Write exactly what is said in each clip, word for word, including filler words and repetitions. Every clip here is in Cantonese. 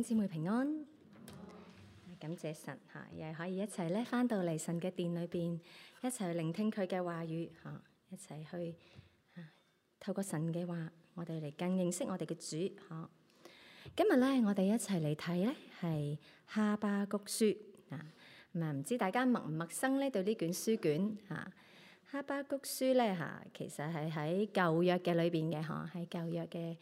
姊妹平安，感謝神嚇，又可以一齊咧返到嚟神嘅殿裏邊，一齊去聆聽佢嘅話語嚇，一齊去透過神嘅話，我哋嚟更認識我哋嘅主嚇。今日咧，我哋一齊嚟睇咧係哈巴谷書啊，咁啊唔知大家陌唔陌生咧對呢卷書卷嚇？哈巴谷書咧嚇，其實係喺舊約嘅裏邊嘅嚇，喺舊約嘅。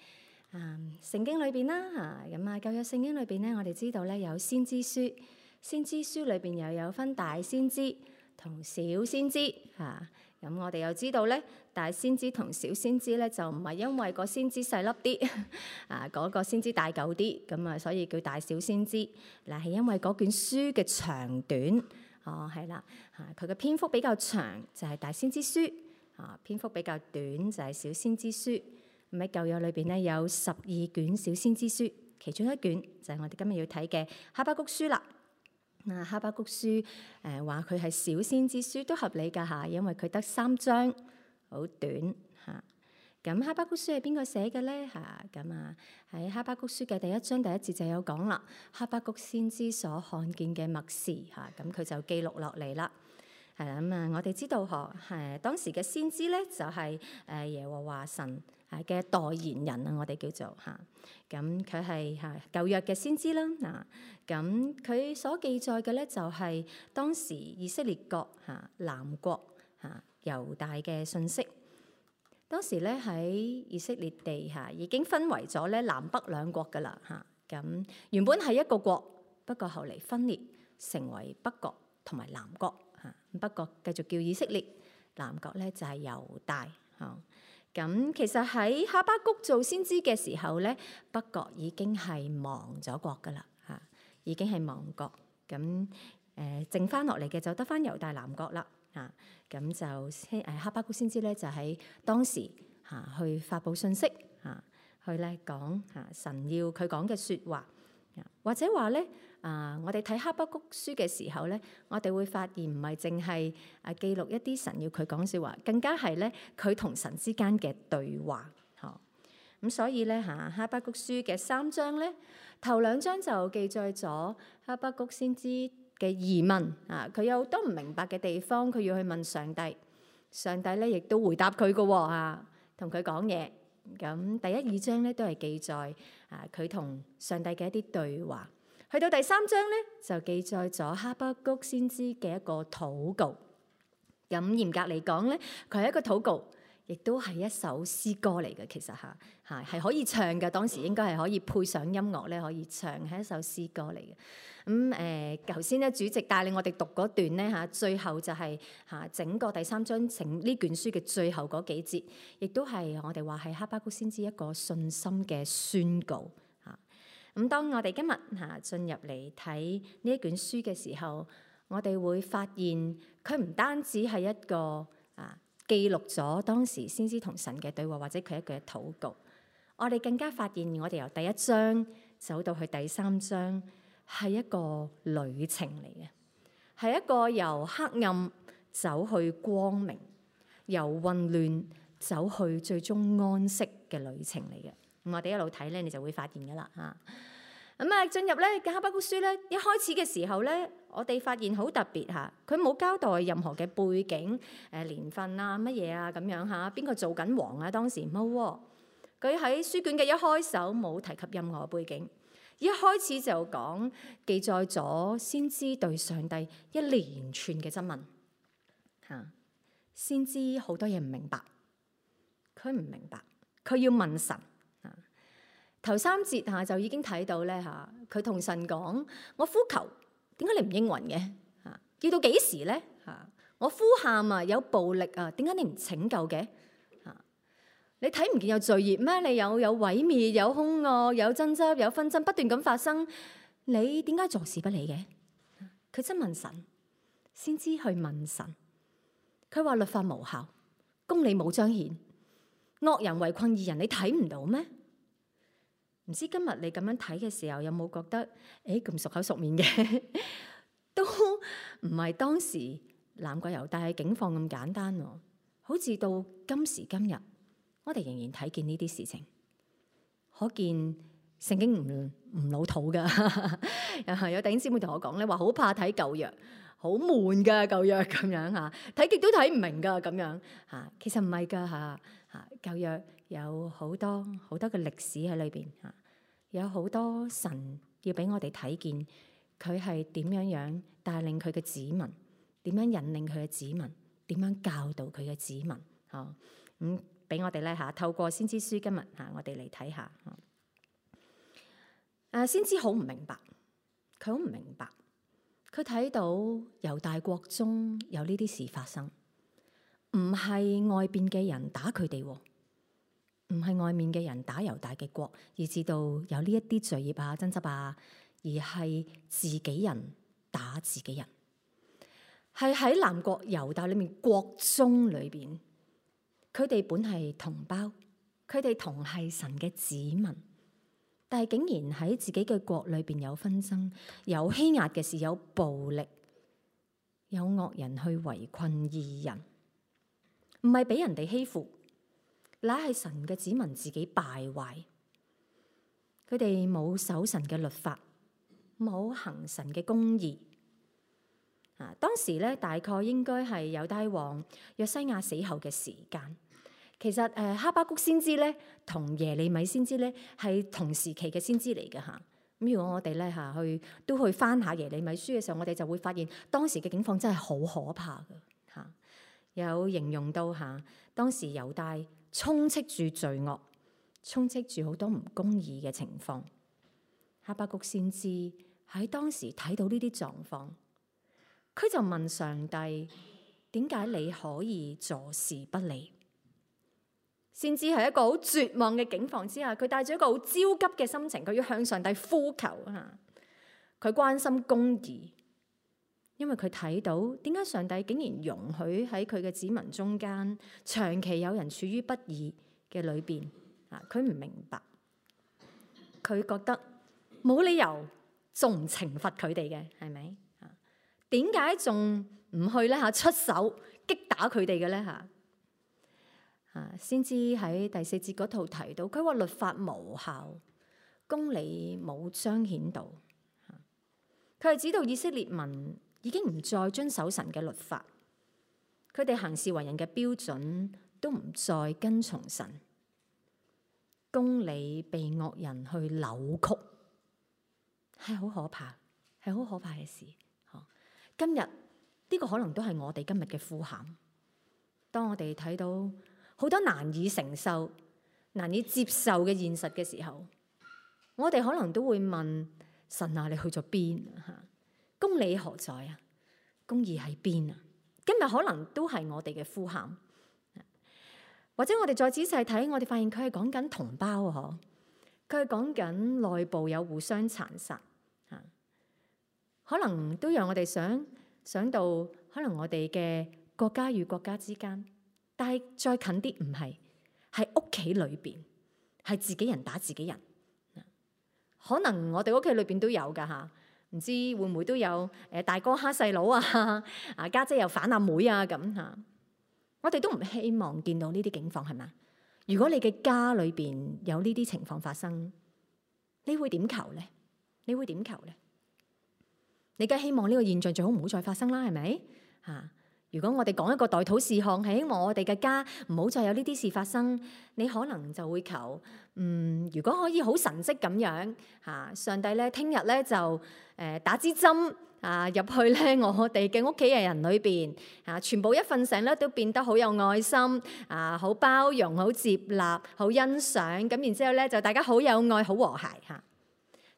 啊，聖經裏邊啦嚇，咁啊舊約聖經裏邊咧，我哋知道咧有先知書，先知書裏邊又有分大先知同小先知嚇。咁、啊、我哋又知道咧，大先知同小先知咧就唔係因為個先知細粒啲啊，嗰、那個先知大嚿啲，咁啊所以叫大小先知。嗱，係因為嗰卷書嘅長短，哦係啦嚇，佢嘅篇幅比較長就係大先知書，啊篇幅比較短就係小先知書。咁喺舊約裏邊咧有十二卷小先知書，其中一卷就係我哋今日要睇嘅哈巴谷書啦。嗱，哈巴谷書誒話佢係小先知書都合理㗎嚇，因為佢得三章，好短嚇。咁哈巴谷書係邊個寫嘅咧嚇？咁啊喺哈巴谷書嘅第一章第一節就有講啦，哈巴谷先知所看見嘅默示嚇，咁佢就記錄落嚟啦。係啦，咁啊我哋知道嗬，係當時嘅先知咧就係誒耶和華神嘅代言人啊，我哋叫做嚇，咁佢係嚇舊約嘅先知啦。嗱，咁佢所記載嘅咧就係當時以色列國嚇南國嚇猶大嘅信息。當時咧喺以色列地嚇已經分為咗咧南北兩國噶啦嚇，咁原本係一個國，不過後嚟分裂成為北國同埋南國嚇，北國繼續叫以色列，南國咧就係猶大嚇。咁其實喺哈巴谷做先知嘅時候咧，北國已經係亡咗國噶啦嚇，已經係亡國。咁誒、呃、剩翻落嚟嘅就得翻猶大南國啦嚇。咁就誒哈巴谷先知咧就喺當時嚇、啊、去發佈信息嚇、啊，去咧講嚇神要佢講嘅説話。或者話咧，啊，我哋睇哈巴谷書嘅時候咧，我哋會發現唔係淨係啊記錄一啲神要佢講説話，更加係咧佢同神之間嘅對話。嗬，咁所以咧嚇哈巴谷書嘅三章咧，頭兩章就記載咗哈巴谷先知嘅疑問啊，佢有好多唔明白嘅地方，佢要去問上帝，上帝咧亦都回答佢嘅喎嚇，同佢講嘢。咁第一二章咧都係記載啊佢同上帝嘅一啲對話，去到第三章咧就記載咗哈巴谷先知嘅一個禱告。咁嚴格嚟講咧，佢係一個禱告，亦都係一首詩歌嚟嘅。其實嚇嚇係可以唱嘅，當時應該係可以配上音樂咧可以唱，係一首詩歌嚟嘅。咁誒頭先咧主席帶領我哋讀嗰段咧嚇，最後就係嚇整個第三章整呢卷書嘅最後嗰幾節，亦都係我哋話係哈巴谷先知一個信心嘅宣告嚇。咁當我哋今日嚇進入嚟睇呢一卷書嘅時候，我哋會發現佢唔單止係一個啊記錄咗當時先知同神嘅對話，或者佢一句嘅禱告。我哋更加發現，我哋由第一章走到去第三章，係一個旅程嚟嘅，係一個由黑暗走去光明，由混亂走去最終安息嘅旅程嚟嘅。咁我哋一路睇咧，你就會發現噶啦嚇。咁啊，進入咧《哈巴谷書》咧，一開始嘅時候咧，我哋發現好特別嚇，佢冇交代任何嘅背景、誒年份啊、乜嘢啊咁樣嚇，邊個做緊王啊？當時冇喎，佢喺書卷嘅一開首冇提及任何背景。一開始就講記載咗先知對上帝一連串嘅質問嚇，先知好多嘢唔明白，佢唔明白，佢要問神嚇。頭三節嚇就已經睇到咧嚇，佢同神講：我呼求，點解你唔應允嘅嚇？要到幾時咧嚇？我呼喊啊，有暴力啊，點解你唔拯救嘅？你睇唔見有罪孽咩？你有有毀滅、有兇惡、有爭執、有紛爭，不斷咁發生，你點解坐視不理嘅？佢質問神，先知去問神。佢話律法無效，公理冇彰顯，惡人圍困義人，你睇唔到咩？唔知今日你咁樣睇嘅時候，有冇覺得誒咁熟口熟面嘅？都唔係當時南國猶大嘅境況咁簡單喎，好似到今時今日。我哋仍然睇見呢啲事情，可見聖經唔唔老土噶。有弟兄姊妹同我講咧，話好怕睇舊約，好悶噶舊約咁樣嚇，睇極都睇唔明噶咁樣嚇。其實唔係噶嚇嚇，舊約有好多好多嘅歷史喺裏邊嚇，有好多神要俾我哋睇見佢係點樣樣帶領佢嘅子民，點樣引領佢嘅子民，點樣教導佢嘅子民嚇。咁俾我哋咧嚇，透過先知書今日嚇，我哋嚟睇下嚇。誒，先知好唔明白，佢好唔明白，佢睇到猶大國中有呢啲事發生，唔係外邊嘅人打佢哋，唔係外面嘅人打猶大嘅國，以至到有呢一啲罪孽啊、爭執啊，而係自己人打自己人，係喺南國猶大裏面國中裏邊。佢哋本係同胞，佢哋同係神嘅子民，但係竟然喺自己嘅國裏邊有紛爭，有欺壓嘅事，有暴力，有惡人去圍困義人，唔係俾人哋欺負，乃係神嘅子民自己敗壞。佢哋冇守神嘅律法，冇行神嘅公義。啊，當時咧大概應該係猶大王約西亞死後嘅時間。其實誒哈巴谷先知咧同耶利米先知咧係同時期嘅先知嚟嘅嚇。咁如果我哋咧嚇去都去翻下耶利米書嘅時候，我哋就會發現當時嘅境況真係好可怕嘅嚇。有形容到嚇當時猶大充斥住罪惡，充斥住好多唔公義嘅情況。哈巴谷先知喺當時睇到呢啲狀況，佢就問上帝：點解你可以坐視不理？先知係一個好絕望嘅境況之下，佢帶住一個好焦急嘅心情，佢要向上帝呼求啊！佢關心公義，因為佢睇到點解上帝竟然容許喺佢嘅子民中間長期有人處於不義嘅裏邊啊！佢唔明白，佢覺得冇理由仲唔懲罰佢哋嘅，係咪啊？點解仲唔去咧嚇出手擊打佢哋嘅咧嚇？啊！先知喺第四節嗰度提到，佢話律法無效，公理冇彰顯到。佢係指到以色列民已經唔再遵守神嘅律法，佢哋行事為人嘅標準都唔再跟從神，公理被惡人去扭曲，係好可怕，係好可怕嘅事。今日呢個可能都係我哋今日嘅呼喊。當我哋睇到好多難以承受、難以接受嘅現實嘅時候，我哋可能都會問神啊，你去咗邊啊？公理何在啊？公義喺邊啊？今日可能都係我哋嘅呼喊，或者我哋再仔細睇，我哋發現佢係講緊同胞嗬，佢係講緊內部有互相殘殺，可能都讓我哋想想到，可能我哋嘅國家與國家之間。但係再近啲，唔係，係屋企裏邊，係自己人打自己人。可能我哋屋企裏邊都有噶吓，唔知會唔會都有誒大哥蝦細佬啊，啊家姐又反阿妹啊咁吓。我哋都唔希望見到呢啲境況，係咪？如果你嘅家裏邊有呢啲情況發生，你會點求咧？你會點求咧？你梗係希望呢個現象最好唔好再發生啦，係咪？吓。如果我哋講一個代禱事項，係希望我哋嘅家唔好再有呢啲事發生，你可能就會求，嗯，如果可以好神蹟咁樣嚇，上帝咧聽日咧就誒打支針啊入去咧我哋嘅屋企嘅人裏邊啊，全部一瞓醒咧都變得好有愛心啊，好包容、好接納、好欣賞，咁然之後咧就大家好有愛、好和諧嚇。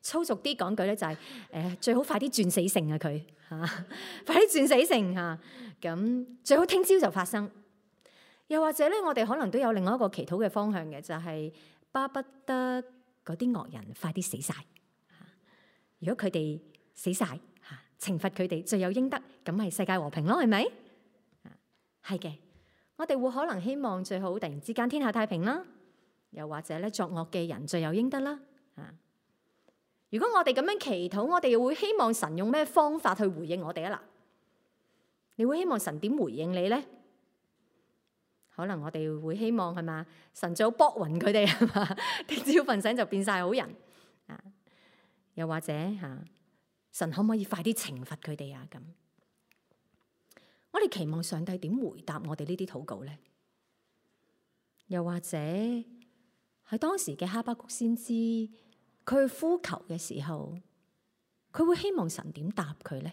粗俗啲講句咧就係誒最好快啲轉死性啊佢嚇，快啲轉死性嚇。咁最好聽朝就發生，又或者咧，我哋可能都有另外一個祈禱嘅方向嘅，就係巴不得嗰啲惡人快啲死晒。如果佢哋死晒，嚇懲罰佢哋罪有應得，咁係世界和平咯，係咪？係嘅，我哋會可能希望最好突然之間天下太平啦，又或者咧作惡嘅人罪有應得啦。啊，如果我哋咁樣祈禱，我哋又會希望神用咩方法去回應我哋啊？嗱。你會希望神點回應你咧？可能我哋會希望係嘛？神最好卜暈佢哋係嘛？聽朝瞓醒就變晒好人啊！又或者嚇、啊、神可唔可以快啲懲罰佢哋啊？咁我哋期望上帝點回答我哋呢啲禱告呢？又或者喺當時嘅哈巴谷先知，佢去呼求嘅時候，佢會希望神點答佢呢？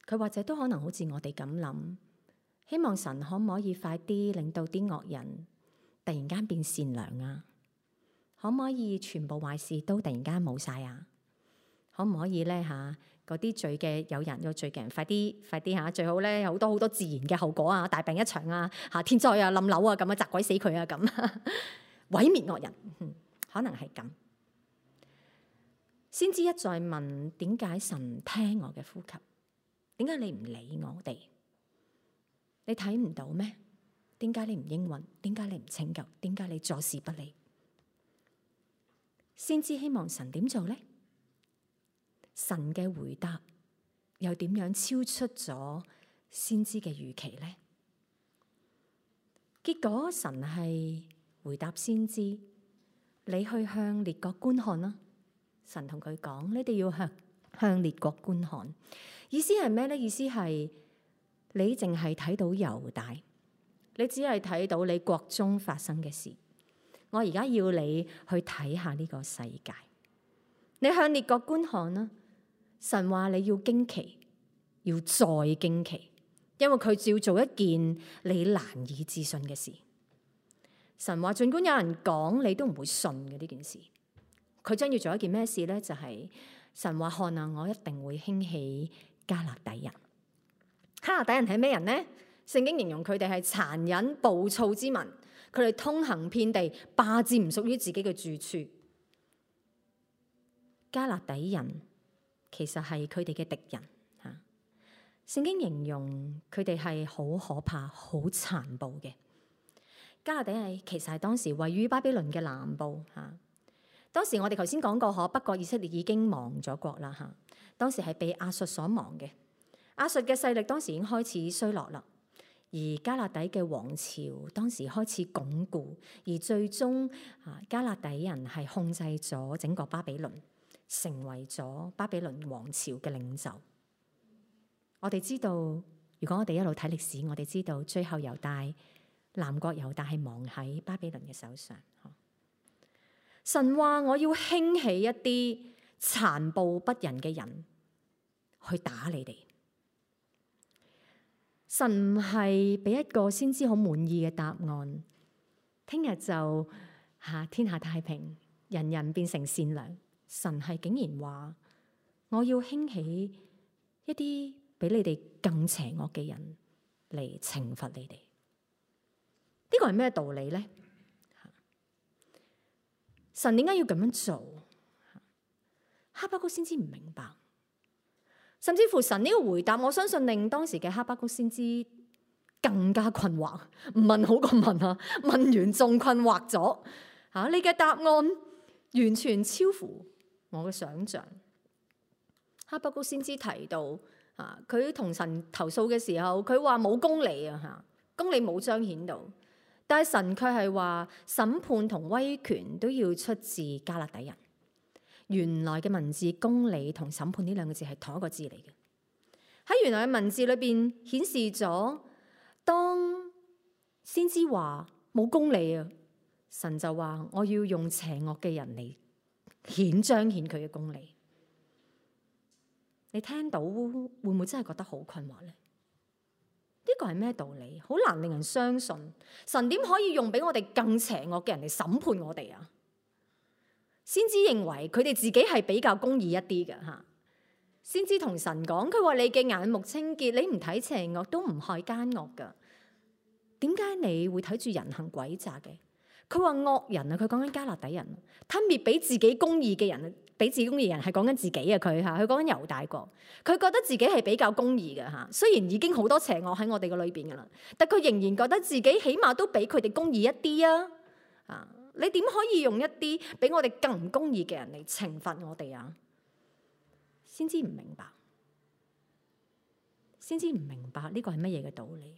佢或者都可能好似我哋咁諗，希望神可唔可以快啲令到啲惡人突然間變善良啊？可唔可以全部壞事都突然間冇晒啊？可唔可以咧嚇嗰啲罪嘅有人有罪嘅人快啲快啲嚇，最好咧有好多好多自然嘅後果啊，大病一場啊，嚇天災啊、冧樓啊咁啊，砸鬼死佢啊咁，毀滅惡人，嗯、可能係咁。先知一再問點解神唔聽我嘅呼吸？點解你唔理我哋？你睇唔到咩？點解你唔應允？點解你唔拯救？點解你坐視不理？先知希望神點做呢？神嘅回答又點樣超出咗先知嘅預期呢？結果神係回答先知：你去向列國觀看啦。神同佢講：你哋要向向列國觀看。意思係咩呢？意思係你淨係睇到猶大，你只係睇到你國中發生嘅事。我而家要你去睇下呢個世界。你向列國觀看啦。神話你要驚奇，要再驚奇，因為佢要做一件你難以置信嘅事。神話盡管有人講，你都唔會信嘅呢件事。佢將要做一件咩事呢？就係、是、神話看啊，我一定會興起迦勒底人。迦勒底人係咩人呢？聖經形容佢哋係殘忍暴躁之民，佢哋通行遍地，霸佔唔屬於自己嘅住處。迦勒底人其實係佢哋嘅敵人嚇。聖經形容佢哋係好可怕、好殘暴嘅。迦勒底係其實係當時位於巴比倫嘅南部嚇。當時我哋頭先講過，嗬，北國以色列已經亡咗國啦嚇。當時係被亞述所亡嘅，亞述嘅勢力當時已經開始衰落啦。而迦勒底嘅王朝當時開始鞏固，而最終啊迦勒底人係控制咗整個巴比倫，成為咗巴比倫王朝嘅領袖。我哋知道，如果我哋一路睇歷史，我哋知道最後猶大南國猶大係亡喺巴比倫嘅手上。神話我要興起一啲殘暴不仁嘅人去打你哋。神唔係俾一個先知好滿意嘅答案，聽日就吓天下太平，人人變成善良。神係竟然話我要興起一啲比你哋更邪惡嘅人嚟懲罰你哋。呢個係咩道理呢？神點解要咁樣做？哈巴谷先知唔明白，甚至乎神呢個回答，我相信令當時嘅哈巴谷先知更加困惑。唔問好過問啊，問完仲困惑咗。吓，你嘅答案完全超乎我嘅想象。哈巴谷先知提到，啊，佢同神投訴嘅時候，佢話冇公理啊，吓，公理冇彰顯到。但係神卻係話審判同威權都要出自迦勒底人。原來嘅文字公理同審判呢兩個字係同一個字嚟嘅。喺原來嘅文字裏邊顯示咗，當先知話冇公理啊，神就話我要用邪惡嘅人嚟顯彰顯佢嘅公理。你聽到會唔會真係覺得好困惑呢？呢個係咩道理？好難令人相信。神點可以用比我哋更邪惡嘅人嚟審判我哋啊？先知認為佢哋自己係比較公義一啲嘅吓。先知同神講，佢話你嘅眼目清潔，你唔睇邪惡都唔害奸惡噶。點解你會睇住人行詭詐嘅？佢話惡人啊，佢講緊迦勒底人，吞滅比自己公義嘅人，比自己公義嘅人係講緊自己啊。佢吓，佢講緊猶大國，佢覺得自己係比較公義嘅吓。雖然已經好多邪惡喺我哋嘅裏邊噶啦，但佢仍然覺得自己起碼都比佢哋公義一啲啊。啊，你點可以用一啲比我哋更唔公義嘅人嚟懲罰我哋啊？先知唔明白，先知唔明白呢個係乜嘢嘅道理。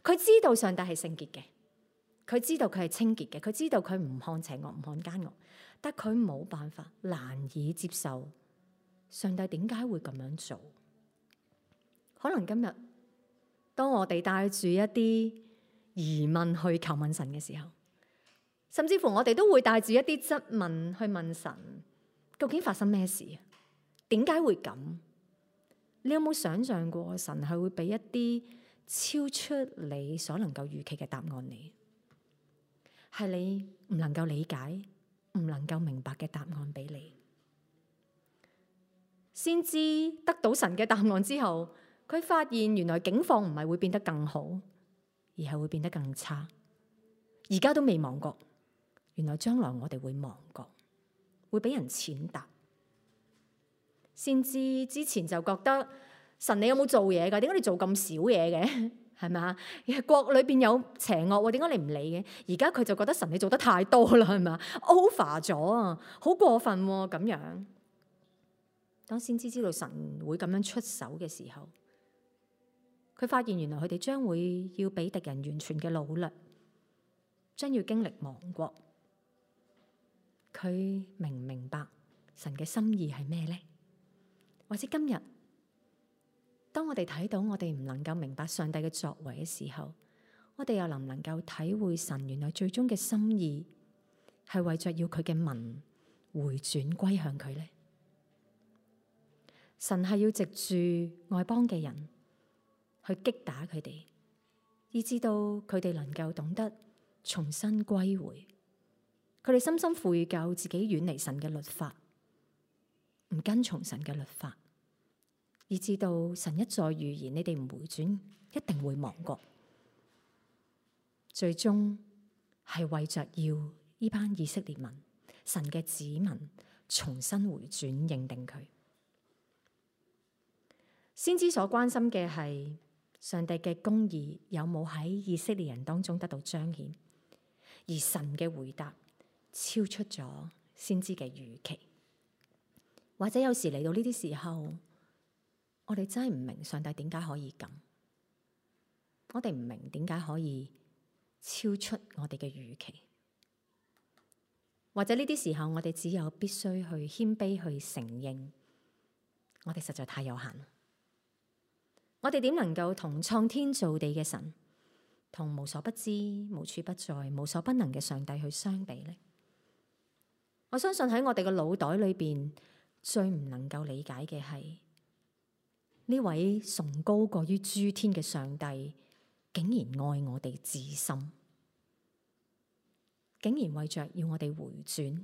佢知道上帝係聖潔嘅。佢知道佢係清潔嘅，佢知道佢唔看邪惡，唔看奸惡，但佢冇辦法，難以接受上帝點解會咁樣做。可能今日當我哋帶住一啲疑問去求問神嘅時候，甚至乎我哋都會帶住一啲質問去問神，究竟發生咩事？點解會咁？你有冇想象過神係會俾一啲超出你所能夠預期嘅答案你？係你唔能夠理解、唔能夠明白嘅答案俾你，先知得到神嘅答案之後，佢發現原來境況唔係會變得更好，而係會變得更差。而家都未亡國，原來將來我哋會亡國，會俾人踐踏。先知之前就覺得神，你有冇做嘢㗎？點解你做咁少嘢嘅？係咪啊？國裏邊有邪惡，點解你唔理嘅？而家佢就覺得神，你做得太多啦，係咪啊？over 咗啊，好過分喎咁樣。當先知知道神會咁樣出手嘅時候，佢發現原來佢哋將會要俾敵人完全嘅擄掠，將要經歷亡國。佢明唔明白神嘅心意係咩呢？或者今日，當我哋睇到我哋唔能夠明白上帝嘅作為嘅時候，我哋又能唔能夠體會神原來最終嘅心意係為着要佢嘅民回轉歸向佢呢？神係要藉住外邦嘅人去擊打佢哋，以致到佢哋能夠懂得重新歸回，佢哋深深悔疚自己遠離神嘅律法，唔跟從神嘅律法，以致到神一再預言你哋唔回轉，一定會亡國。最終係為着要呢班以色列民、神嘅子民重新回轉，認定佢。先知所關心嘅係上帝嘅公義有冇喺以色列人當中得到彰顯，而神嘅回答超出咗先知嘅預期。或者有時嚟到呢啲時候，我哋真係唔明上帝點解可以咁，我哋唔明點解可以超出我哋嘅預期。或者呢啲時候，我哋只有必須去謙卑去承認，我哋實在太有限。我哋點能夠同創天造地嘅神，同無所不知、無處不在、無所不能嘅上帝去相比呢？我相信喺我哋嘅腦袋裏邊，最唔能夠理解嘅係呢位崇高過於諸天嘅上帝，竟然愛我哋至深，竟然為着要我哋回轉，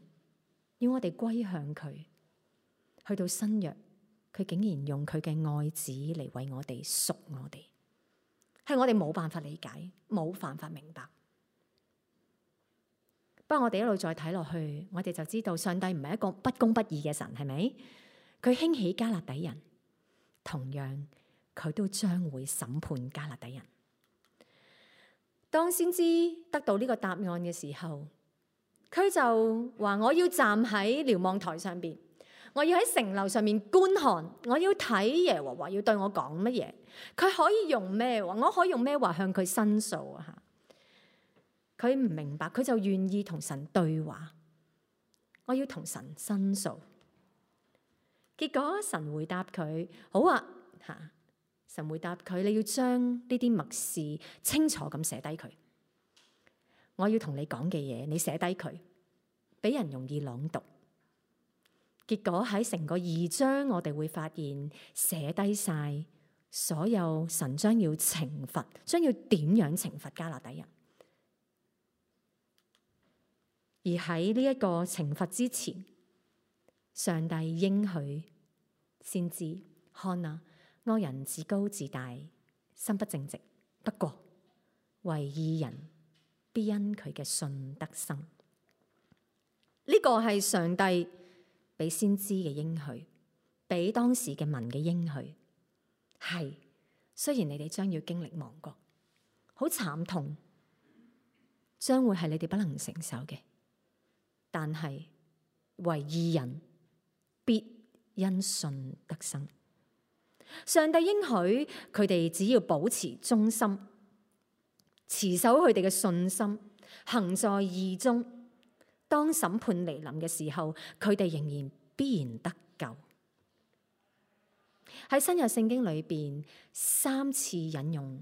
要我哋歸向佢，去到新約。佢竟然用佢嘅愛子嚟為我哋贖我哋，係我哋冇辦法理解，冇辦法明白。不過我哋一路再睇落去，我哋就知道上帝唔係一個不公不義嘅神，係咪？佢興起迦勒底人，同樣佢都將會審判迦勒底人。當先知得到呢個答案嘅時候，佢就話：我要站喺瞭望台上邊。我要喺城樓上面觀看，我要睇耶和華要對我講乜嘢，佢可以用咩話，我可以用咩話向佢申訴啊？佢唔明白，佢就願意同神對話。我要同神申訴，結果神回答佢：好啊，吓！神回答佢：你要將呢啲默示清楚咁寫低佢。我要同你講嘅嘢，你寫低佢，俾人容易朗讀。結果喺成個二章，我哋會發現寫低晒所有神將要懲罰，將要點樣懲罰迦勒底人。而喺呢一個懲罰之前，上帝應許先知：看啊，惡人自高自大，心不正直，不過為義人必因佢嘅信得生。呢、這個係上帝俾先知嘅應許，俾當時嘅民嘅應許，係雖然你哋將要經歷亡國，好慘痛，將會係你哋不能承受嘅，但係為義人必因信得生。上帝應許佢哋只要保持忠心，持守佢哋嘅信心，行在義中，當審判嚟臨嘅時候，佢哋仍然必然得救。喺新約聖經裏邊三次引用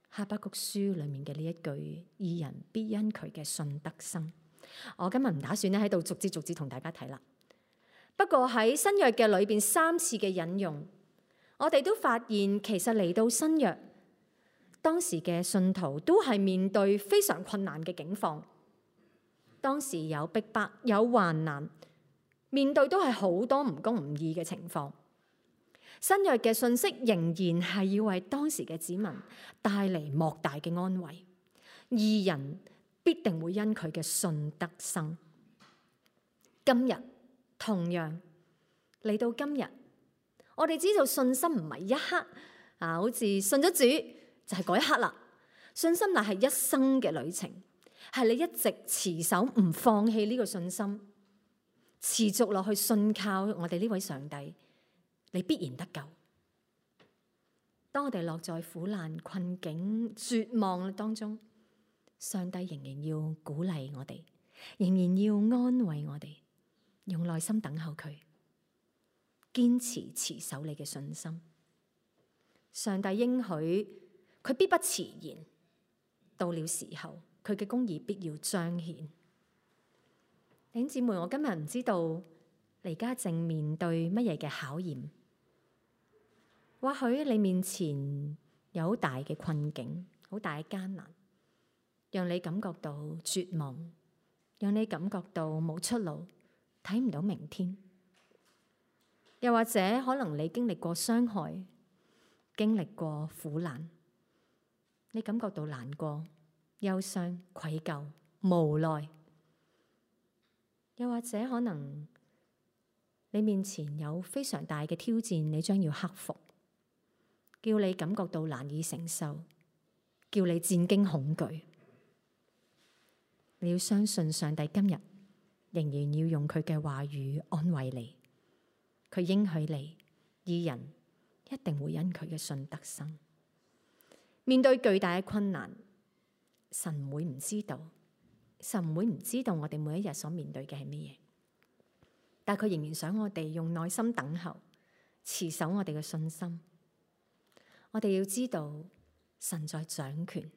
哈巴谷書裏面嘅呢一句：義人必因佢嘅信得生。我今日唔打算咧喺度逐字逐字同大家睇啦。不過喺新約嘅裏邊三次嘅引用，我哋都發現其實嚟到新約，當時嘅信徒都係面對非常困難嘅境況。當時有逼迫，有患難，面對都係好多唔公唔義嘅情況。新約嘅信息仍然係要為當時嘅子民帶嚟莫大嘅安慰。義人必定會因佢嘅信得生。今日同樣嚟到今日，我哋知道信心唔係一刻啊，好似信咗主就係嗰一刻啦。信心乃係一生嘅旅程，係你一直持守唔放棄呢個信心，持續落去信靠我哋呢位上帝，你必然得救。當我哋落在苦難、困境、絕望當中，上帝仍然要鼓勵我哋，仍然要安慰我哋，用耐心等候佢，堅持持守你嘅信心。上帝應許佢必不遲延，到了時候，佢嘅公義必要彰顯。弟兄姊妹，我今日唔知道你而家正面對乜嘢嘅考驗。或許你面前有好大嘅困境，好大嘅艱難，讓你感覺到絕望，讓你感覺到冇出路，睇唔到明天。又或者可能你經歷過傷害，經歷過苦難，你感覺到難過、憂傷、愧疚、無奈。又或者可能你面前有非常大嘅挑戰，你將要克服，叫你感覺到難以承受，叫你戰驚恐懼。你要相信上帝今日仍然要用佢嘅話語安慰你，佢應許你，義人一定會因佢嘅信得生。面對巨大嘅困難，神唔會唔知道，神唔會唔知道我哋每一日所面對嘅係乜嘢，但佢仍然想我哋用耐心等候，持守我哋嘅信心。我哋要知道神在掌權，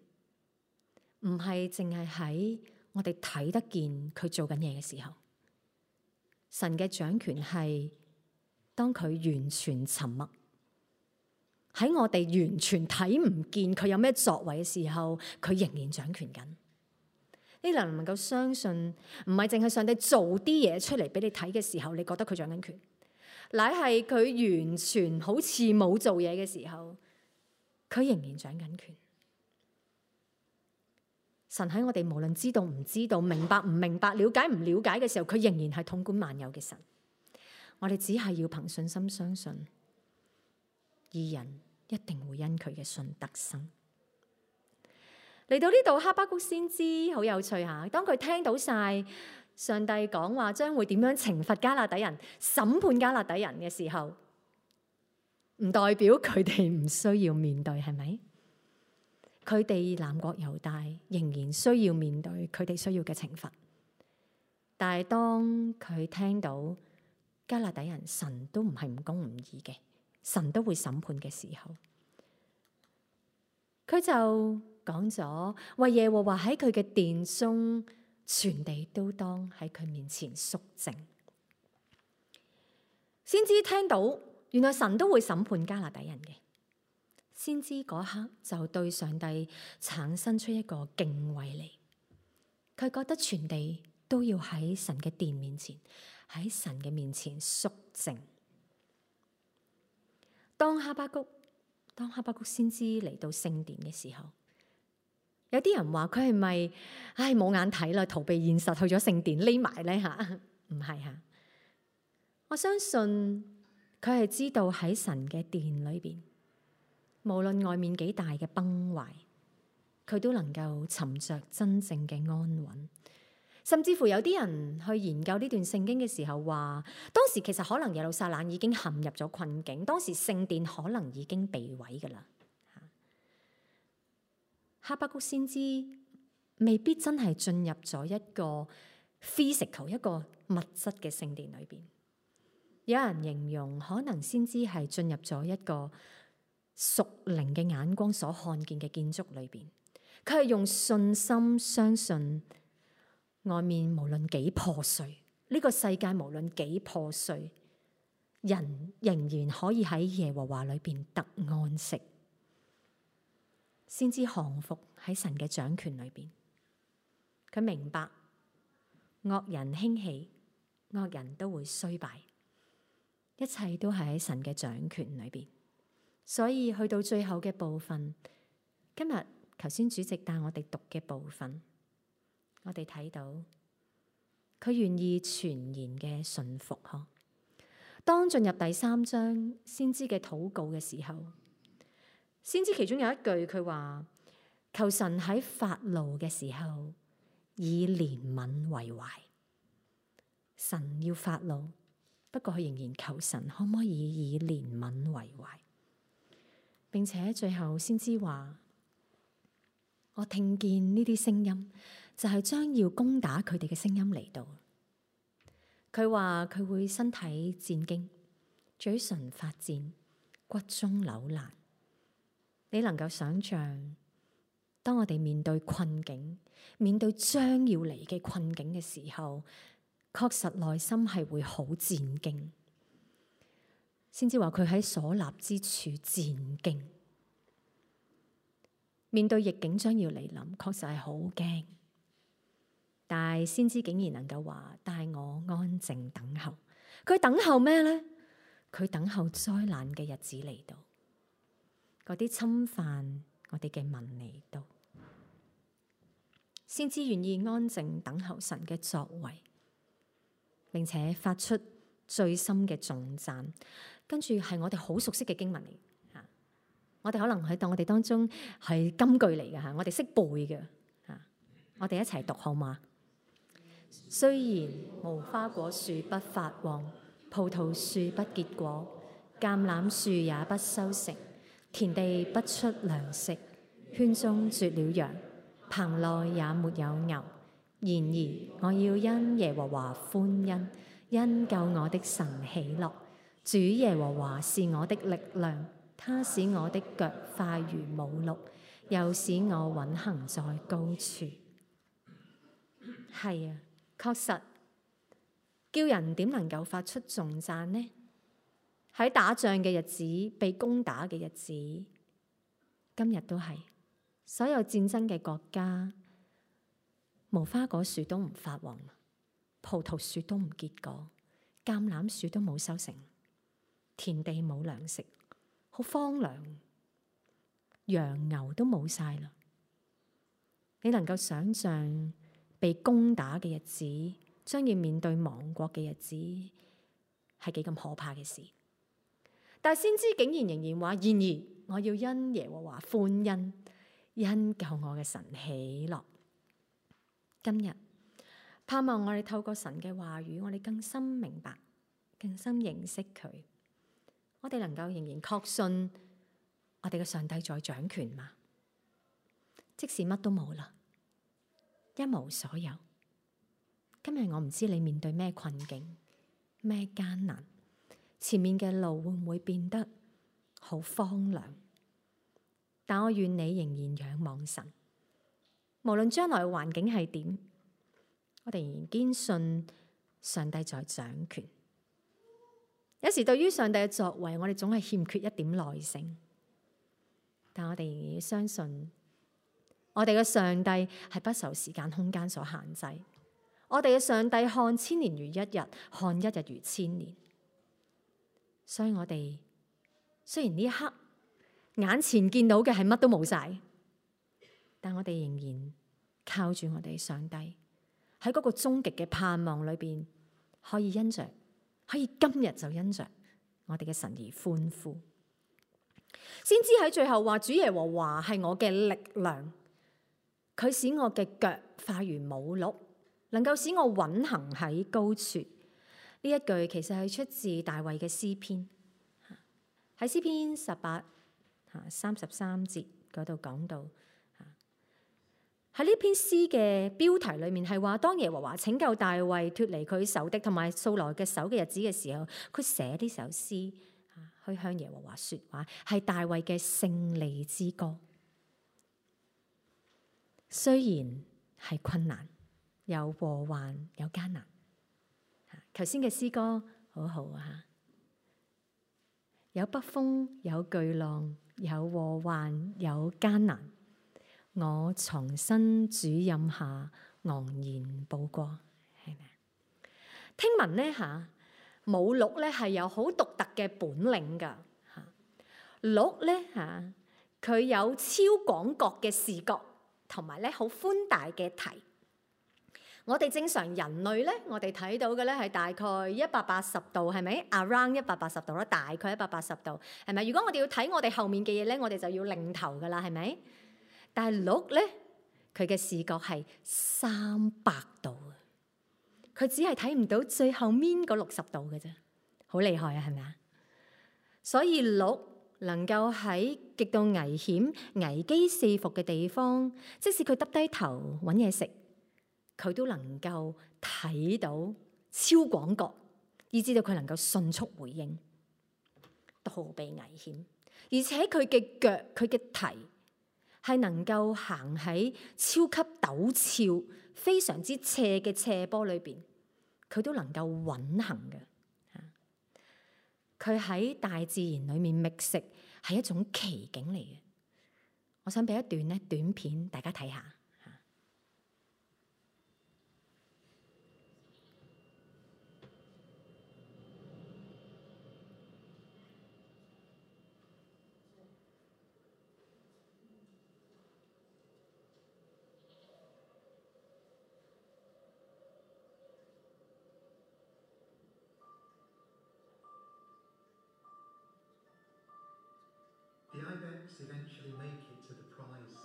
唔係淨係喺我哋睇得見佢做緊嘢嘅時候。神嘅掌權係當佢完全沉默，喺我哋完全睇唔見佢有咩作為嘅時候，佢仍然掌權緊。你能唔能夠相信，唔係淨係上帝做啲嘢出嚟俾你睇嘅時候，你覺得佢掌緊權，乃係佢完全好似冇做嘢嘅時候，佢仍然掌緊權。神喺我哋無論知道唔知道、明白唔明白、了解唔了解嘅時候，佢仍然係統管萬有嘅神。我哋只係要憑信心相信，義人一定會因佢嘅信得生。嚟到呢度，哈巴谷先知好有趣吓。當佢聽到晒上帝講話將會點樣懲罰迦勒底人、審判迦勒底人嘅時候，唔代表佢哋唔需要面對，係咪？佢哋南國猶大仍然需要面對佢哋需要嘅懲罰。但係當佢聽到迦勒底人神都唔係唔公唔義嘅，神都會審判嘅時候，佢就講咗，為耶和華喺佢嘅殿中，全地都當喺佢面前肅靜。先知聽到原來神都會審判迦勒底人嘅，先知嗰刻就對上帝產生出一個敬畏嚟。佢覺得全地都要喺神嘅殿面前，喺神嘅面前肅靜。當哈巴谷當哈巴谷先知嚟到聖殿嘅時候，有啲人話佢係咪唉冇眼睇啦，逃避現實去咗聖殿匿埋咧吓？唔係吓，我相信佢係知道喺神嘅殿裏邊，無論外面幾大嘅崩壞，佢都能夠尋着真正嘅安穩。甚至乎有啲人去研究呢段聖經嘅時候話，當時其實可能耶路撒冷已經陷入咗困境，當時聖殿可能已經被毀噶啦。哈巴谷先知未必真係進入咗一個 physical 一個物質嘅聖殿裏邊。有人形容可能先知係進入咗一個屬靈嘅眼光所看見嘅建築裏邊，佢係用信心相信外面無論幾破碎，呢個世界無論幾破碎，人仍然可以喺耶和華裏邊得安息，先知降服喺神嘅掌權裏邊。佢明白惡人興起，惡人都會衰敗，一切都係喺神嘅掌權裏邊。所以去到最後嘅部分，今日頭先主席帶我哋讀嘅部分，我哋睇到佢願意全然嘅順服。嗬，當進入第三章先知嘅禱告嘅時候，先知其中有一句佢話：求神喺發怒嘅時候以憐憫為懷。神要發怒，不過佢仍然求神可唔可以以憐憫為懷。並且最後先知話：我聽見呢啲聲音，就係將要攻打佢哋嘅聲音嚟到。佢話佢會身體戰驚，嘴唇發顫，骨中扭爛。你能夠想象，當我哋面對困境，面對將要嚟嘅困境嘅時候，確實內心係會好戰驚。先知話佢喺所立之處戰驚，面對逆境將要嚟臨，確實係好驚。但係先知竟然能夠話帶我安靜等候。佢等候咩呢？佢等候災難嘅日子嚟到，嗰啲侵犯我哋嘅民嚟到。先知願意安靜等候神嘅作為，並且發出最深嘅頌讚。跟住係我哋好熟悉嘅經文嚟，吓，我哋可能喺當我哋當中係金句嚟嘅吓，我哋識背嘅吓，我哋一齊讀好嗎？雖然無花果樹不發旺，葡萄樹不結果，橄欖樹也不收成，田地不出糧食，圈中絕了羊，棚內也沒有牛。然而我要因耶和華歡欣，因救我的神喜樂。主耶和華是我的力量，他使我的腳快如母鹿，又使我穩行在高處。係啊，確實叫人點能夠發出頌讚呢？喺打仗嘅日子，被攻打嘅日子，今日都係所有戰爭嘅國家，無花果樹都唔發旺，葡萄樹都唔結果，橄欖樹都冇收成，田地冇糧食，好荒涼，羊牛都冇晒啦。你能夠想象被攻打嘅日子，將要面對亡國嘅日子，係幾咁可怕嘅事？但係先知竟然仍然話：然而我要因耶和華歡欣，因救我嘅神喜樂。今日盼望我哋透過神嘅話語，我哋更深明白，更深認識佢。我哋能夠仍然確信我哋嘅上帝在掌權嘛？即使乜都冇啦，一無所有。今日我唔知你面對咩困境，咩艱難，前面嘅路會唔會變得好荒涼？但我願你仍然仰望神，無論將來嘅環境係點，我哋仍然堅信上帝在掌權。有時對於上帝嘅作為，我哋總係欠缺一點耐性，但我哋仍然要相信，我哋嘅上帝係不受時間空間所限制。我哋嘅上帝看千年如一日，看一日如千年。所以我哋雖然呢一刻眼前見到嘅係乜都冇晒，但我哋仍然靠住我哋上帝喺嗰個終極嘅盼望裏邊，可以因着，可以今日就因着我哋嘅神而歡呼。先知喺最後話：主耶和華係我嘅力量，佢使我嘅腳快如母鹿，能夠使我穩行喺高處。呢一句其實係出自大衛嘅詩篇，喺詩篇十八三十三節嗰度講到，喺呢篇詩嘅標題裏面係話，當耶和華拯救大衛脫離佢仇敵同埋掃羅嘅手嘅日子嘅時候，佢寫呢首詩去向耶和華說話，係大衛嘅勝利之歌。雖然係困難，有禍患，有艱難。頭先嘅詩歌好好啊，有北風，有巨浪，有禍患，有艱難。我藏身主蔭下，昂然步過，係咪？聽聞咧嚇，母鹿咧係有好獨特嘅本領㗎嚇。鹿咧嚇，佢有超廣角嘅視覺，同埋咧好寬大嘅蹄。我哋正常人類咧，我哋睇到嘅咧係大概一百八十度，係咪 ？around 一百八十度啦，大概一百八十度，係咪？如果我哋要睇我哋後面嘅嘢咧，我哋就要擰頭㗎啦，係咪？但係鹿咧，佢嘅視覺係三百度，佢只係睇唔到最後面嗰六十度嘅啫，好厲害啊，係咪啊？所以鹿能夠喺極度危險、危機四伏嘅地方，即使佢耷低頭揾嘢食，佢都能夠睇到超廣角，以至到佢能夠迅速回應，逃避危險，而且佢嘅腳、佢嘅蹄，係能夠行喺超級陡峭、非常之斜嘅斜坡裏邊，佢都能夠穩行嘅。佢喺大自然裏面覓食係一種奇景嚟嘅。我想俾一段咧短片大家睇下。The ibex eventually make it to the prize.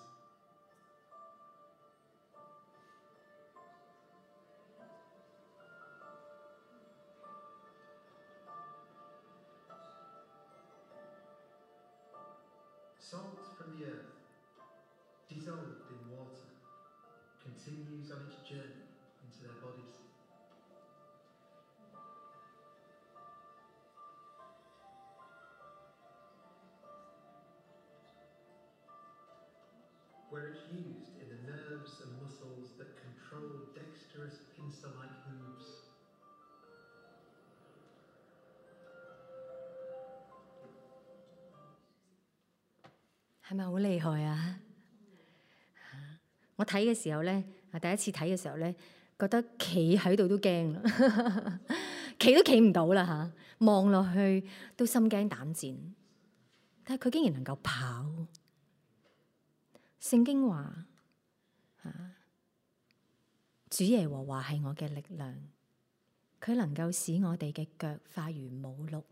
Salt from the earth, dissolved in water, continues on its journey into their bodies. Where it's used in the nerves and muscles that control dexterous pincer-like hooves. 係咪好厲害啊？我睇嘅時候咧，第一次睇嘅時候咧，覺得企喺度都驚啦，企都企唔到啦嚇，望落去都心驚膽戰。但係佢竟然能夠跑。聖經話：主耶和華係我嘅力量，佢能夠使我哋嘅腳快如母鹿，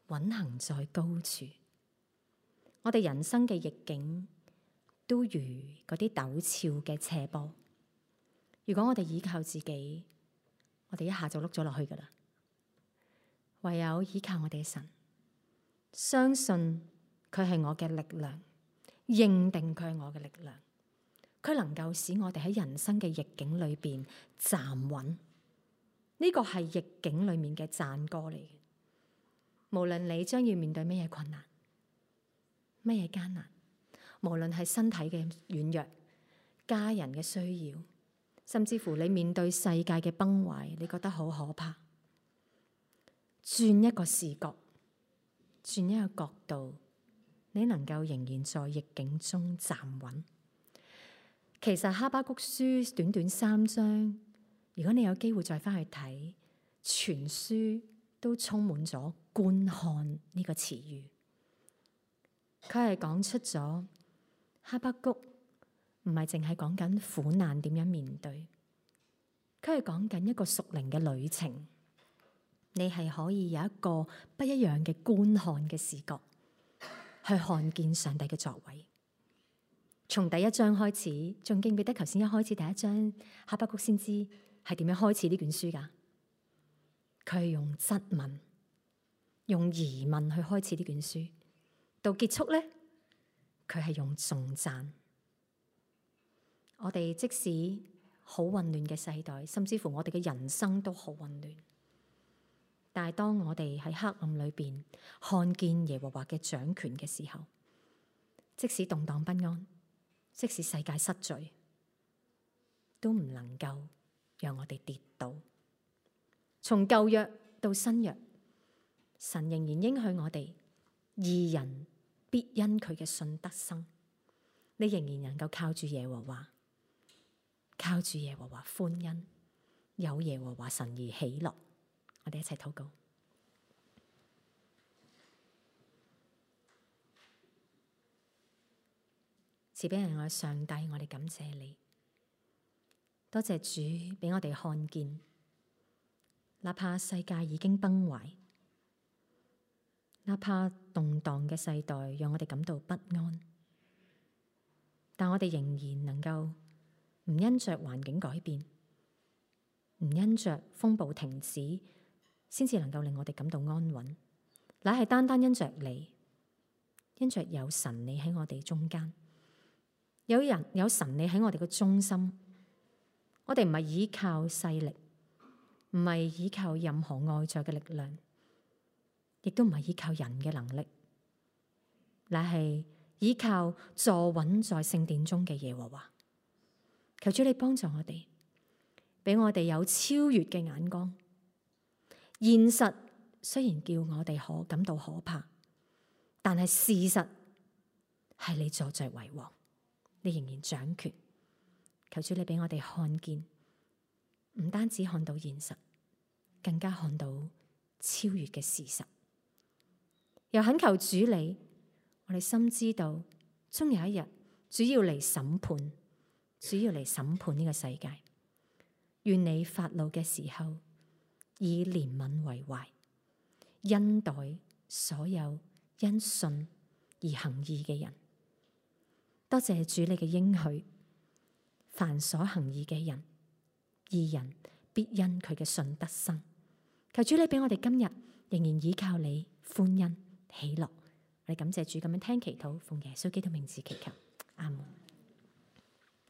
穩行在高處。我哋人生嘅逆境都如嗰啲陡峭嘅斜坡。如果我哋依靠自己，我哋一下就碌咗落去㗎喇。唯有依靠我哋嘅神，相信佢係我嘅力量。認定佢係我嘅力量，佢能夠使我哋喺人生嘅逆境裏邊站穩。呢個係逆境裏面嘅讚歌嚟嘅。無論你將要面對咩嘢困難、咩嘢艱難，無論係身體嘅軟弱、家人嘅需要，甚至乎你面對世界嘅崩壞，你覺得好可怕，轉一個視角，轉一個角度，你能夠仍然在逆境中站穩。其實哈巴谷書短短三章，如果你有機會再翻去睇，全書都充滿咗觀看呢個詞語。佢係講出咗哈巴谷唔係淨係講緊苦難點樣面對，佢係講緊一個屬靈嘅旅程。你係可以有一個不一樣嘅觀看嘅視覺，去看見上帝嘅作為。從第一章開始，仲記唔記得頭先一開始第一章哈巴谷先知係點樣開始呢卷書㗎？佢係用質問、用疑問去開始呢卷書，到結束咧，佢係用頌讚。我哋即使好混亂嘅世代，甚至乎我哋嘅人生都好混亂。但係當我哋喺黑暗裏邊看見耶和華嘅掌權嘅時候，即使動盪不安，即使世界失序，都唔能夠讓我哋跌倒。從舊約到新約，神仍然應許我哋，義人必因佢嘅信得生。你仍然能夠靠住耶和華，靠住耶和華歡欣，有耶和華神而喜樂。我哋一齊禱告。慈悲人愛上帝，我哋感謝你，多謝主俾我哋看見，哪怕世界已經崩壞，哪怕動盪嘅世代讓我哋感到不安，但我哋仍然能夠唔因着環境改變，唔因着風暴停止，先至能夠令我哋感到安穩，乃係單單因着你，因着有神你喺我哋中間，有人有神你喺我哋嘅中心，我哋唔係依靠勢力，唔係依靠任何外在嘅力量，亦都唔係依靠人嘅能力，乃係依靠坐穩在聖殿中嘅耶和華。求主你幫助我哋，俾我哋有超越嘅眼光。現實雖然叫我哋可感到可怕，但係事實係你坐著為王，你仍然掌權。求主你俾我哋看見，唔單止看到現實，更加看到超越嘅事實。又懇求主你，我哋深知道，終有一日主要嚟審判，主要嚟審判呢個世界。願你發怒嘅時候，以憐憫為懷，恩待所有因信而行義嘅人。多謝主你嘅應許，凡所行義嘅人，義人必因佢嘅信得生。求主你俾我哋今日仍然依靠你，歡欣喜樂。我哋感謝主咁樣聽祈禱，奉耶穌基督名字祈求，阿門。